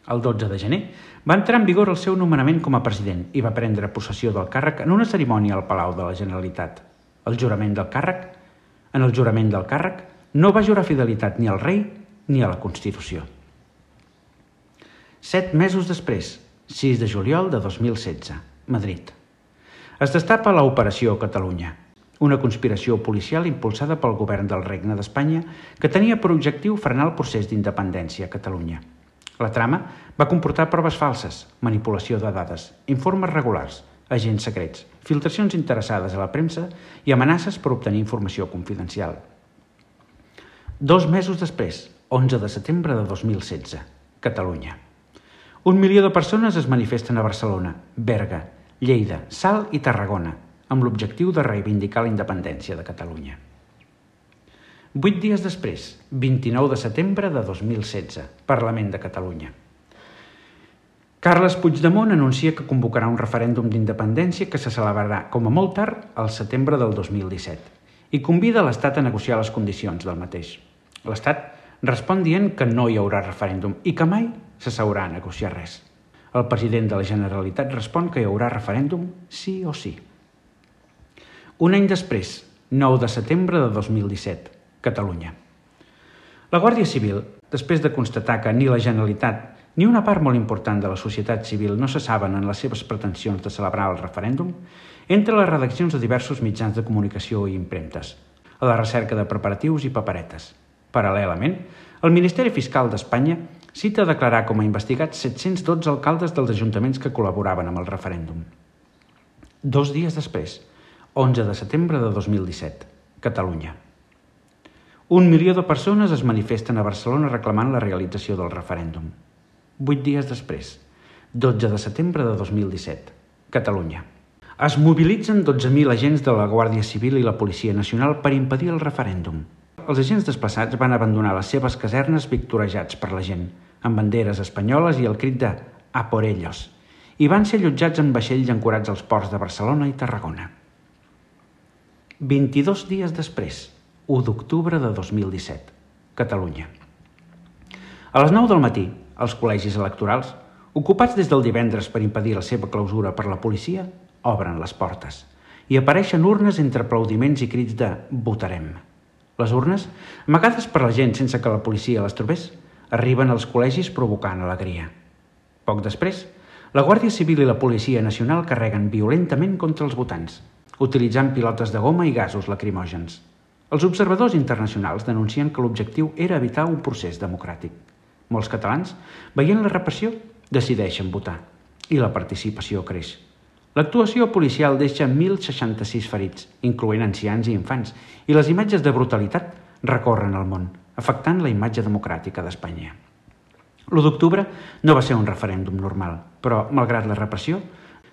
El 12 de gener va entrar en vigor el seu nomenament com a president i va prendre possessió del càrrec en una cerimònia al Palau de la Generalitat. En el jurament del càrrec no va jurar fidelitat ni al rei ni a la Constitució. 7 mesos després, 6 de juliol de 2016, Madrid. Es destapa l'Operació Catalunya, una conspiració policial impulsada pel govern del Regne d'Espanya que tenia per objectiu frenar el procés d'independència a Catalunya. La trama va comportar proves falses, manipulació de dades, informes regulars, agents secrets, filtracions interessades a la premsa i amenaces per obtenir informació confidencial. 2 mesos després, 11 de setembre de 2016, Catalunya. 1 milió de persones es manifesten a Barcelona, Berga, Lleida, Salt i Tarragona, amb l'objectiu de reivindicar la independència de Catalunya. 8 dies després, 29 de setembre de 2016, Parlament de Catalunya. Carles Puigdemont anuncia que convocarà un referèndum d'independència que se celebrarà, com a molt tard, al setembre del 2017 i convida l'Estat a negociar les condicions del mateix. L'Estat respon dient que no hi haurà referèndum i que mai s'asseurà a negociar res. El president de la Generalitat respon que hi haurà referèndum sí o sí. Un any després, 9 de setembre de 2017, Catalunya. La Guàrdia Civil, després de constatar que ni la Generalitat ni una part molt important de la societat civil no se saben en les seves pretensions de celebrar el referèndum, entra a les redaccions de diversos mitjans de comunicació i impremtes, a la recerca de preparatius i paperetes. Paral·lelament, el Ministeri Fiscal d'Espanya cita a declarar com a investigats 712 alcaldes dels ajuntaments que col·laboraven amb el referèndum. 2 dies després, 11 de setembre de 2017, Catalunya. 1 milió de persones es manifesten a Barcelona reclamant la realització del referèndum. 8 dies després, 12 de setembre de 2017, Catalunya. Es mobilitzen 12.000 agents de la Guàrdia Civil i la Policia Nacional per impedir el referèndum. Els agents desplaçats van abandonar les seves casernes victorejats per la gent, amb banderes espanyoles i el crit de «A por ellos», i van ser allotjats en vaixells ancorats als ports de Barcelona i Tarragona. 22 dies després, 1 d'octubre de 2017, Catalunya. A les 9 del matí, els col·legis electorals, ocupats des del divendres per impedir la seva clausura per la policia, obren les portes i apareixen urnes entre aplaudiments i crits de «votarem». Les urnes, amagades per la gent sense que la policia les trobés, arriben als col·legis provocant alegria. Poc després, la Guàrdia Civil i la Policia Nacional carreguen violentament contra els votants, utilitzant pilotes de goma i gasos lacrimògens. Els observadors internacionals denuncien que l'objectiu era evitar un procés democràtic. Molts catalans, veient la repressió, decideixen votar i la participació creix. L'actuació policial deixa 1.066 ferits, incloent ancians i infants, i les imatges de brutalitat recorren el món, afectant la imatge democràtica d'Espanya. L'1 d'octubre no va ser un referèndum normal, però, malgrat la repressió,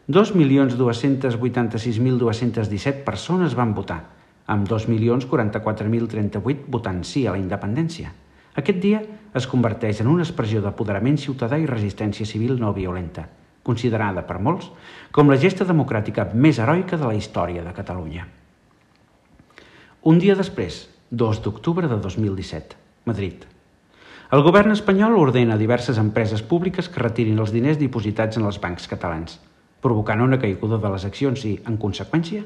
2.286.217 persones van votar, amb 2.044.038 votant sí a la independència. Aquest dia es converteix en una expressió d'apoderament ciutadà i resistència civil no violenta, considerada per molts com la gesta democràtica més heroica de la història de Catalunya. Un dia després, 2 d'octubre de 2017, Madrid. El govern espanyol ordena a diverses empreses públiques que retirin els diners dipositats en els bancs catalans, provocant una caiguda de les accions i, en conseqüència,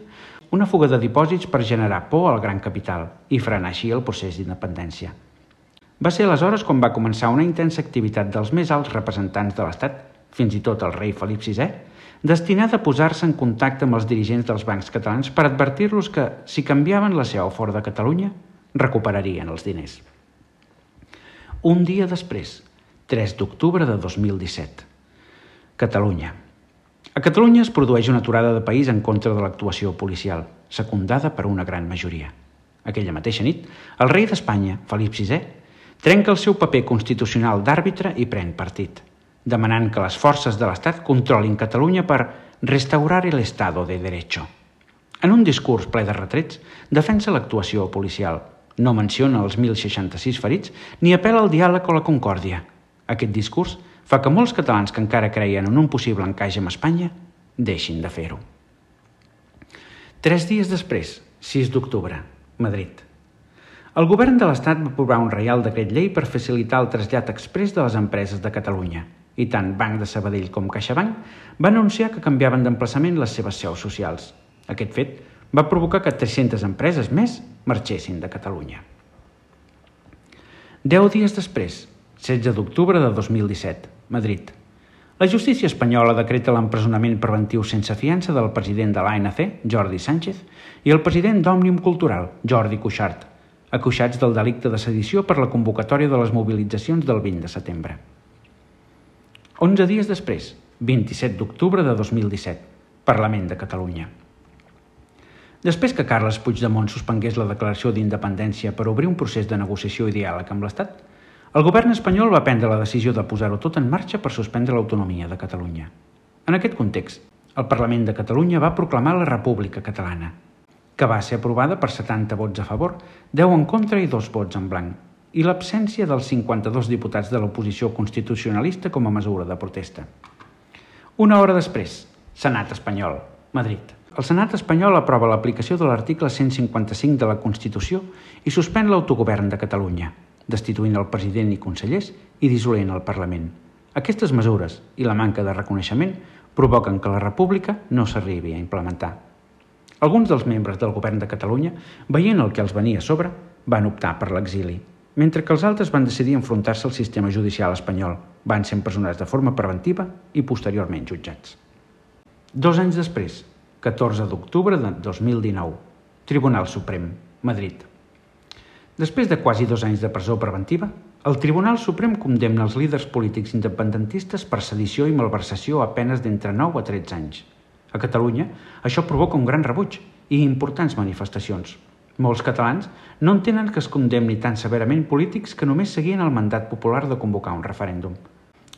una fuga de dipòsits per generar por al gran capital i frenar així el procés d'independència. Va ser aleshores quan va començar una intensa activitat dels més alts representants de l'Estat, fins i tot el rei Felip VI, destinada a posar-se en contacte amb els dirigents dels bancs catalans per advertir-los que, si canviaven la seu fora de Catalunya, recuperarien els diners. Un dia després, 3 d'octubre de 2017, Catalunya. A Catalunya es produeix una aturada de país en contra de l'actuació policial, secundada per una gran majoria. Aquella mateixa nit, el rei d'Espanya, Felip VI, trenca el seu paper constitucional d'àrbitre i pren partit, demanant que les forces de l'Estat controlin Catalunya per restaurar el Estado de Derecho. En un discurs ple de retrets, defensa l'actuació policial, no menciona els 1.066 ferits ni apel·la al diàleg o la concòrdia. Aquest discurs fa que molts catalans que encara creien en un possible encaix amb Espanya deixin de fer-ho. 3 dies després, 6 d'octubre, Madrid. El govern de l'Estat va aprovar un reial decret llei per facilitar el trasllat exprés de les empreses de Catalunya, i tant Banc de Sabadell com CaixaBank van anunciar que canviaven d'emplaçament les seves seus socials. Aquest fet va provocar que 300 empreses més marxessin de Catalunya. 10 dies després, 16 d'octubre de 2017, Madrid. La justícia espanyola decreta l'empresonament preventiu sense fiança del president de l'ANC, Jordi Sánchez, i el president d'Òmnium Cultural, Jordi Cuixart, acusats del delicte de sedició per la convocatòria de les mobilitzacions del 20 de setembre. 11 dies després, 27 d'octubre de 2017, Parlament de Catalunya. Després que Carles Puigdemont suspengués la declaració d'independència per obrir un procés de negociació i diàleg amb l'Estat, el govern espanyol va prendre la decisió de posar-ho tot en marxa per suspendre l'autonomia de Catalunya. En aquest context, el Parlament de Catalunya va proclamar la República Catalana, que va ser aprovada per 70 vots a favor, 10 en contra i 2 vots en blanc, i l'absència dels 52 diputats de l'oposició constitucionalista com a mesura de protesta. Una hora després, Senat espanyol, Madrid. El Senat espanyol aprova l'aplicació de l'article 155 de la Constitució i suspèn l'autogovern de Catalunya, destituint el president i consellers i dissolent el Parlament. Aquestes mesures i la manca de reconeixement provoquen que la República no s'arribi a implementar. Alguns dels membres del govern de Catalunya, veient el que els venia a sobre, van optar per l'exili, mentre que els altres van decidir enfrontar-se al sistema judicial espanyol, van ser empresonats de forma preventiva i posteriorment jutjats. 2 anys després, 14 d'octubre de 2019, Tribunal Suprem, Madrid. Després de quasi 2 anys de presó preventiva, el Tribunal Suprem condemna els líders polítics independentistes per sedició i malversació a penes d'entre 9 a 13 anys. A Catalunya, això provoca un gran rebuig i importants manifestacions. Molts catalans no entenen que es condemni tan severament polítics que només seguien el mandat popular de convocar un referèndum.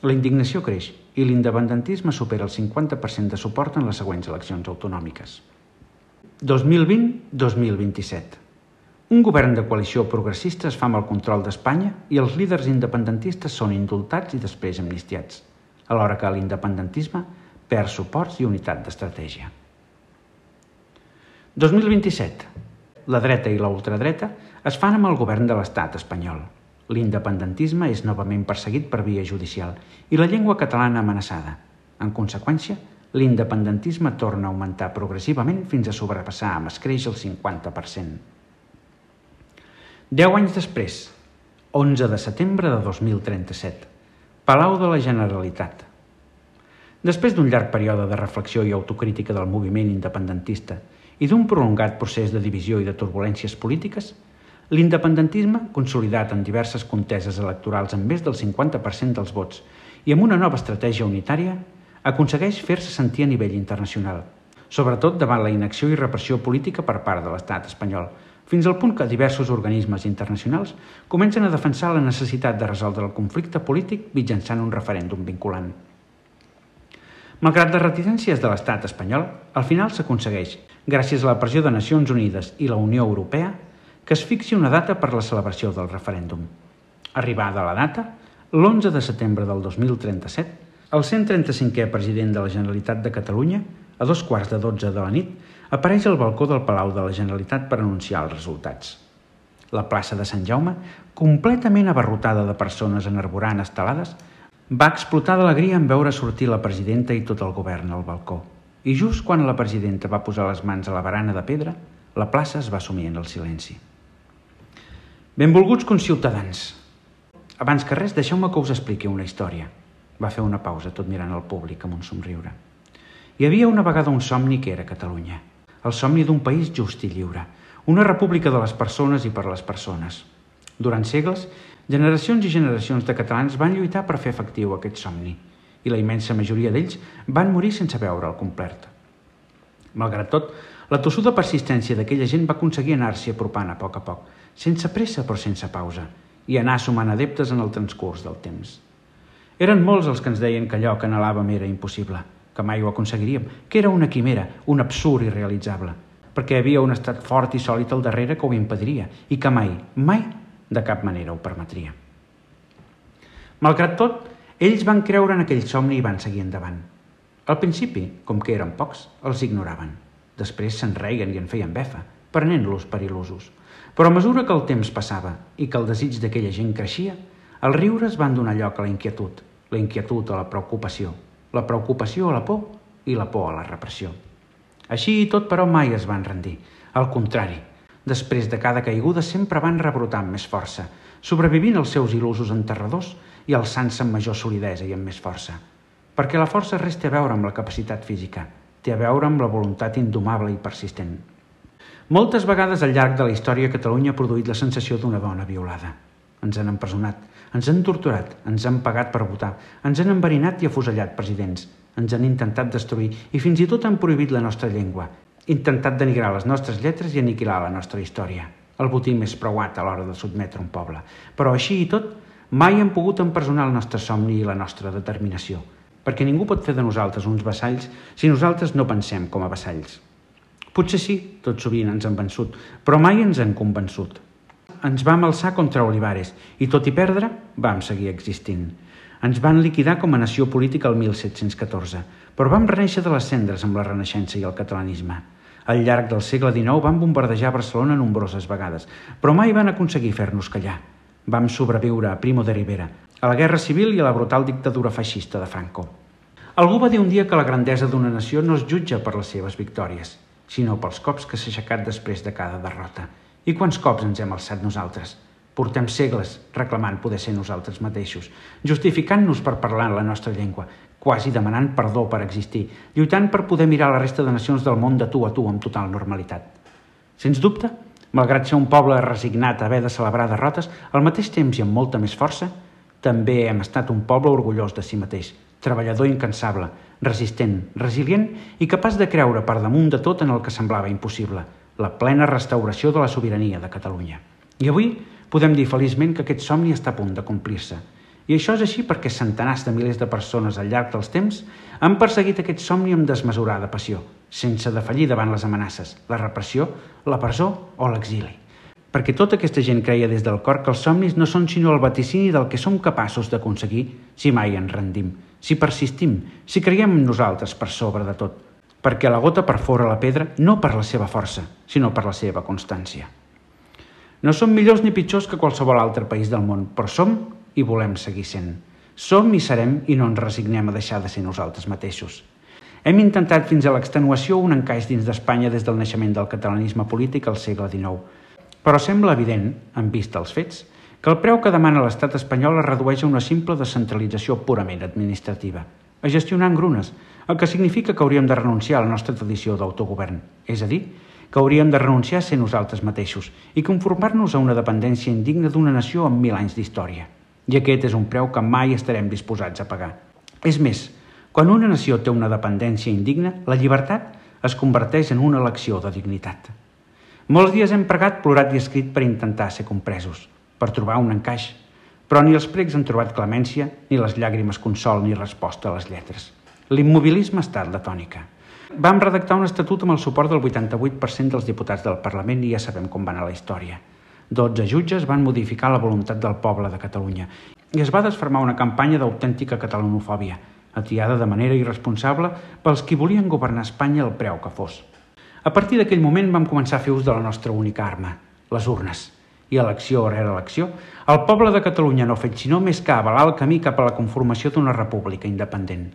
La indignació creix i l'independentisme supera el 50% de suport en les següents eleccions autonòmiques. 2020-2027. Un govern de coalició progressista es fa amb el control d'Espanya i els líders independentistes són indultats i després amnistiats, alhora que l'independentisme perd suports i unitat d'estratègia. 2027. La dreta i la ultradreta es fan amb el govern de l'estat espanyol. L'independentisme és novament perseguit per via judicial i la llengua catalana amenaçada. En conseqüència, l'independentisme torna a augmentar progressivament fins a sobrepassar amb escreix el 50%. 10 anys després, 11 de setembre de 2037, Palau de la Generalitat. Després d'un llarg període de reflexió i autocrítica del moviment independentista i d'un prolongat procés de divisió i de turbulències polítiques, l'independentisme, consolidat en diverses conteses electorals amb més del 50% dels vots i amb una nova estratègia unitària, aconsegueix fer-se sentir a nivell internacional, sobretot davant la inacció i repressió política per part de l'estat espanyol, fins al punt que diversos organismes internacionals comencen a defensar la necessitat de resoldre el conflicte polític mitjançant un referèndum vinculant. Malgrat les reticències de l'estat espanyol, al final s'aconsegueix, gràcies a la pressió de Nacions Unides i la Unió Europea, que es fixi una data per la celebració del referèndum. Arribada la data, l'11 de setembre del 2037, el 135è president de la Generalitat de Catalunya, a 11:15 de la nit, apareix al balcó del Palau de la Generalitat per anunciar els resultats. La plaça de Sant Jaume, completament abarrotada de persones enarborant estelades, va explotar d'alegria en veure sortir la presidenta i tot el govern al balcó. I just quan la presidenta va posar les mans a la barana de pedra, la plaça es va sumir en el silenci. Benvolguts conciutadans. Abans que res, deixeu-me que us expliqui una història. Va fer una pausa, tot mirant al públic amb un somriure. Hi havia una vegada un somni que era Catalunya. El somni d'un país just i lliure. Una república de les persones i per les persones. Durant segles, generacions i generacions de catalans van lluitar per fer efectiu aquest somni i la immensa majoria d'ells van morir sense veure'l complert. Malgrat tot, la tossuda persistència d'aquella gent va aconseguir anar-s'hi apropant a poc, sense pressa però sense pausa, i anar sumant adeptes en el transcurs del temps. Eren molts els que ens deien que allò que anhelàvem era impossible, que mai ho aconseguiríem, que era una quimera, un absurd irrealitzable, perquè hi havia un estat fort i sòlid al darrere que ho impediria i que mai, de cap manera ho permetria. Malgrat tot, ells van creure en aquell somni i van seguir endavant. Al principi, com que eren pocs, els ignoraven. Després se'n reien i en feien befa, prenent-los per il·lusos. Però a mesura que el temps passava i que el desig d'aquella gent creixia, els riures van donar lloc a la inquietud a la preocupació a la por i la por a la repressió. Així i tot, però, mai es van rendir. Al contrari, després de cada caiguda sempre van rebrotar amb més força, sobrevivint als seus il·lusos enterradors i alçant-se amb major solidesa i amb més força. Perquè la força res té a veure amb la capacitat física, té a veure amb la voluntat indomable i persistent. Moltes vegades al llarg de la història Catalunya ha produït la sensació d'una dona violada. Ens han empresonat, ens han torturat, ens han pagat per votar, ens han enverinat i afusellat presidents, ens han intentat destruir i fins i tot han prohibit la nostra llengua, intentat denigrar les nostres lletres i aniquilar la nostra història, el botí més preuat a l'hora de sotmetre un poble. Però així i tot, mai han pogut empresonar el nostre somni i la nostra determinació, perquè ningú pot fer de nosaltres uns vassalls si nosaltres no pensem com a vassalls. Potser sí, tot sovint ens han vençut, però mai ens han convençut. Ens vam alçar contra Olivares i, tot i perdre, vam seguir existint. Ens van liquidar com a nació política el 1714, però vam renéixer de les cendres amb la Renaixença i el catalanisme. Al llarg del segle XIX vam bombardejar Barcelona nombroses vegades, però mai van aconseguir fer-nos callar. Vam sobreviure a Primo de Rivera, a la Guerra Civil i a la brutal dictadura feixista de Franco. Algú va dir un dia que la grandesa d'una nació no es jutja per les seves victòries, sinó pels cops que s'ha aixecat després de cada derrota. I quants cops ens hem alçat nosaltres? Portem segles reclamant poder ser nosaltres mateixos, justificant-nos per parlar en la nostra llengua, quasi demanant perdó per existir, lluitant per poder mirar la resta de nacions del món de tu a tu amb total normalitat. Sens dubte, malgrat ser un poble resignat a haver de celebrar derrotes, al mateix temps i amb molta més força, també hem estat un poble orgullós de si mateix, treballador incansable, resistent, resilient i capaç de creure per damunt de tot en el que semblava impossible, la plena restauració de la sobirania de Catalunya. I avui podem dir feliçment que aquest somni està a punt de complir-se I això és així perquè centenars de milers de persones al llarg dels temps han perseguit aquest somni amb desmesurada passió, sense defallir davant les amenaces, la repressió, la presó o l'exili. Perquè tota aquesta gent creia des del cor que els somnis no són sinó el vaticini del que som capaços d'aconseguir si mai ens rendim, si persistim, si creiem en nosaltres per sobre de tot. Perquè la gota perfora la pedra no per la seva força, sinó per la seva constància. No som millors ni pitjors que qualsevol altre país del món, però som i volem seguir sent. Som i serem i no ens resignem a deixar de ser nosaltres mateixos. Hem intentat fins a l'extenuació un encaix dins d'Espanya des del naixement del catalanisme polític al segle XIX. Però sembla evident, en vista els fets, que el preu que demana l'estat espanyol es redueix a una simple descentralització purament administrativa, a gestionar engrunes, el que significa que hauríem de renunciar a la nostra tradició d'autogovern, és a dir, que hauríem de renunciar a ser nosaltres mateixos i conformar-nos a una dependència indigna d'una nació amb 1000 anys d'història. I aquest és un preu que mai estarem disposats a pagar. És més, quan una nació té una dependència indigna, la llibertat es converteix en una elecció de dignitat. Molts dies hem pregat, plorat i escrit per intentar ser compresos, per trobar un encaix, però ni els precs han trobat clemència, ni les llàgrimes consol ni resposta a les lletres. L'immobilisme ha estat la tònica. Vam redactar un estatut amb el suport del 88% dels diputats del Parlament i ja sabem com va anar la història. 12 jutges van modificar la voluntat del poble de Catalunya i es va desfermar una campanya d'autèntica catalanofòbia, atiada de manera irresponsable pels qui volien governar Espanya al preu que fos. A partir d'aquell moment vam començar a fer ús de la nostra única arma, les urnes. I elecció rere elecció, el poble de Catalunya no ha fet sinó més que avalar el camí cap a la conformació d'una república independent.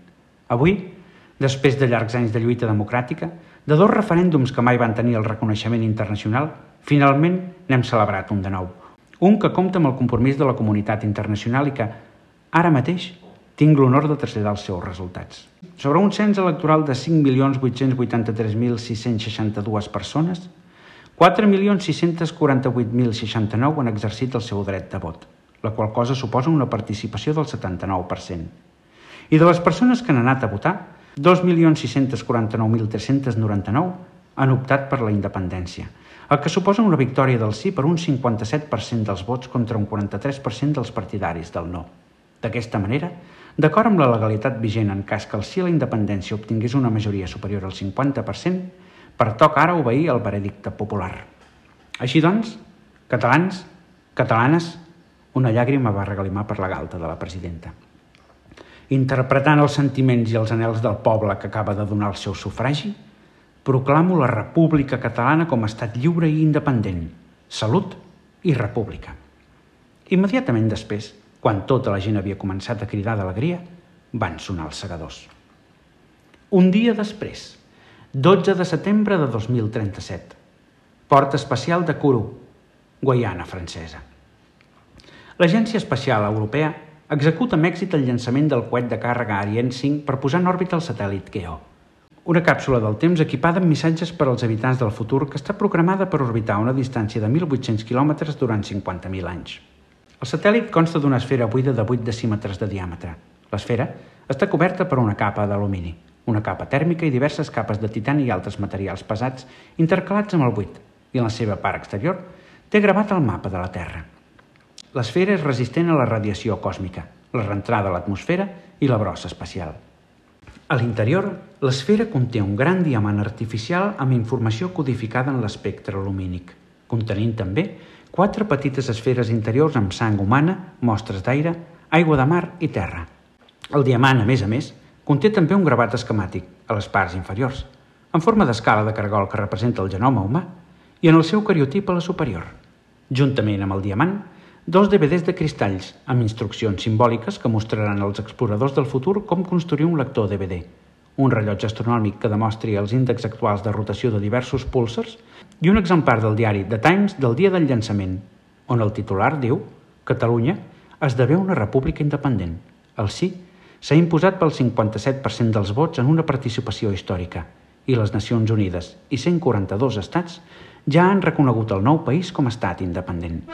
Avui, després de llargs anys de lluita democràtica, de 2 referèndums que mai van tenir el reconeixement internacional, finalment n'hem celebrat un de nou. Un que compta amb el compromís de la comunitat internacional i que, ara mateix, tinc l'honor de traslladar els seus resultats. Sobre un cens electoral de 5.883.662 persones, 4.648.069 han exercit el seu dret de vot, la qual cosa suposa una participació del 79%. I de les persones que han anat a votar, 2.649.399 han optat per la independència, el que suposa una victòria del sí per un 57% dels vots contra un 43% dels partidaris del no. D'aquesta manera, d'acord amb la legalitat vigent en cas que el sí a la independència obtingués una majoria superior al 50%, pertoca ara obeir el veredicte popular. Així doncs, catalans, catalanes, una llàgrima va regalimar per la galta de la presidenta. Interpretant els sentiments i els anhels del poble que acaba de donar el seu sufragi, proclamo la República Catalana com a estat lliure i independent, salut i república. Immediatament després, quan tota la gent havia començat a cridar d'alegria, van sonar els segadors. Un dia després, 12 de setembre de 2037, Port Espacial de Kourou, Guaiana Francesa. L'Agència Espacial Europea executa amb èxit el llançament del coet de càrrega Ariane 5 per posar en òrbita el satèl·lit Geo, una càpsula del temps equipada amb missatges per als habitants del futur que està programada per orbitar a una distància de 1.800 quilòmetres durant 50.000 anys. El satèl·lit consta d'una esfera buida de 8 decímetres de diàmetre. L'esfera està coberta per una capa d'alumini, una capa tèrmica i diverses capes de titani i altres materials pesats intercalats amb el buit, i en la seva part exterior té gravat el mapa de la Terra. L'esfera és resistent a la radiació còsmica, la reentrada a l'atmosfera i la brossa espacial. A l'interior, l'esfera conté un gran diamant artificial amb informació codificada en l'espectre lumínic, contenint també 4 petites esferes interiors amb sang humana, mostres d'aire, aigua de mar i terra. El diamant, a més, conté també un gravat esquemàtic, a les parts inferiors, en forma d'escala de cargol que representa el genoma humà i en el seu cariotip a la superior. Juntament amb el diamant, 2 DVDs de cristalls, amb instruccions simbòliques que mostraran als exploradors del futur com construir un lector DVD, un rellotge astronòmic que demostri els índexs actuals de rotació de diversos púlsars i un exemplar del diari The Times del dia del llançament, on el titular diu «Catalunya esdevé una república independent. El sí s'ha imposat pel 57% dels vots en una participació històrica i les Nacions Unides i 142 estats ja han reconegut el nou país com a estat independent».